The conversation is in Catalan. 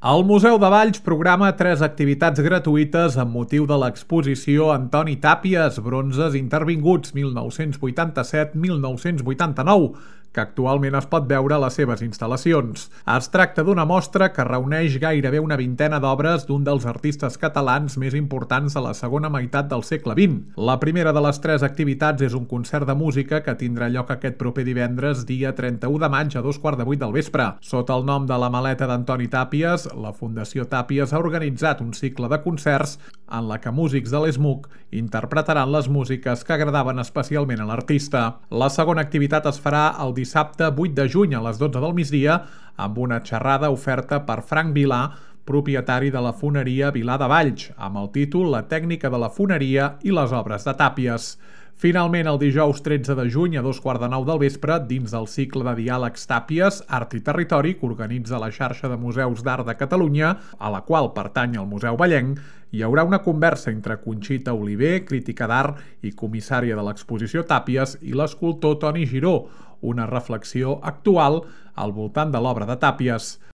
El Museu de Valls programa 3 activitats gratuïtes amb motiu de l'exposició Antoni Tàpies, bronzes intervinguts 1987-1989, que actualment es pot veure a les seves instal·lacions. Es tracta d'una mostra que reuneix gairebé una vintena d'obres d'un dels artistes catalans més importants de la segona meitat del segle XX. La primera de les 3 activitats és un concert de música que tindrà lloc aquest proper divendres, dia 31 de maig a 2:15 del vespre. Sota el nom de La Maleta d'Antoni Tàpies, la Fundació Tàpies ha organitzat un cicle de concerts en la que músics de l'ESMUC interpretaran les músiques que agradaven especialment a l'artista. La segona activitat es farà el dissabte 8 de juny a les 12 del migdia amb una xerrada oferta per Frank Vilà, propietari de la foneria Vilà de Valls, amb el títol La tècnica de la foneria i les obres de Tàpies. Finalment, el dijous 13 de juny a 2:15 del vespre, dins del cicle de diàlegs Tàpies, Art i Territori, que organitza la xarxa de museus d'art de Catalunya, a la qual pertany el Museu Vallenc, hi haurà una conversa entre Conxita Oliver, crítica d'art i comissària de l'exposició Tàpies, i l'escultor Toni Giró, una reflexió actual al voltant de l'obra de Tàpies.